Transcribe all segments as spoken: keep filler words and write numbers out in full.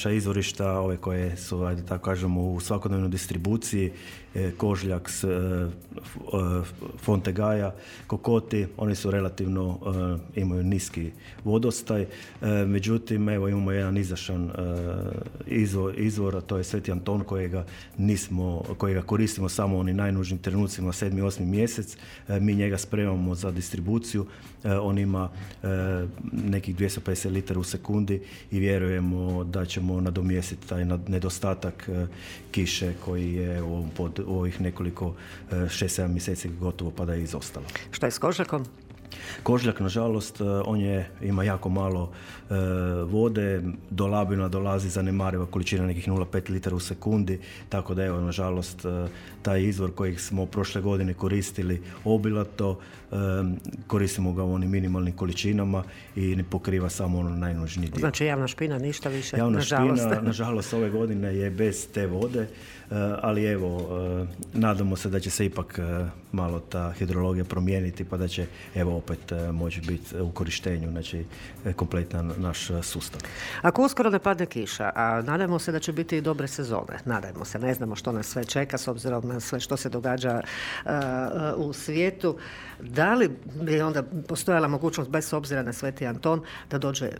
naša izvorišta, ove koje su, ajde tako kažemo, u svakodnevnoj distribuciji, Kožljak, Fontegaja, Kokoti, oni su relativno, imaju niski vodostaj, međutim, evo imamo jedan izašan izvor, izvor, a to je Sveti Anton kojega nismo, kojega koristimo samo u onim najnužnim trenucima, sedmi, osmi mjesec, mi njega spremamo za distribuciju, on ima nekih dvjesto pedeset litara u sekundi i vjerujemo da ćemo nadomjestiti taj nedostatak kiše koji je u, pod, u ovih nekoliko šest sedam mjeseci gotovo pa da je izostalo. Što je s Kožljakom? Kožljak, nažalost, on je, ima jako malo e, vode, do Labina dolazi zanemariva količina nekih nula zarez pet litara u sekundi, tako da evo, nažalost, e, taj izvor kojeg smo prošle godine koristili obilato, e, koristimo ga u onim minimalnim količinama i ne pokriva samo ono najnužniji dio. Znači javna špina, ništa više, javna nažalost. Špina, nažalost, ove godine je bez te vode, ali evo, nadamo se da će se ipak malo ta hidrologija promijeniti pa da će evo opet moći biti u korištenju, znači kompletan naš sustav. Ako uskoro ne padne kiša, a nadajmo se da će biti i dobre sezone, nadajmo se, ne znamo što nas sve čeka s obzirom na sve što se događa uh, u svijetu, da li bi onda postojala mogućnost bez obzira na Sveti Anton da dođe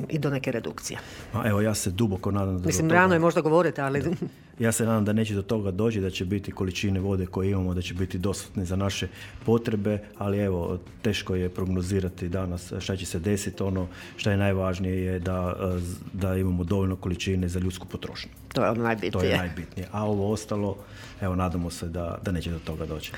i do neke redukcije? A evo, ja se duboko nadam da Mislim, rano je možda govoriti, ali... Da. Ja se nadam da neće do toga doći, da će biti količine vode koje imamo, da će biti dostatne za naše potrebe, ali evo, teško je prognozirati danas šta će se desiti. Ono što je najvažnije je da, da imamo dovoljno količine za ljudsku potrošnju. To je ono najbitnije. To je najbitnije. A ovo ostalo, evo, nadamo se da, da neće do toga doći.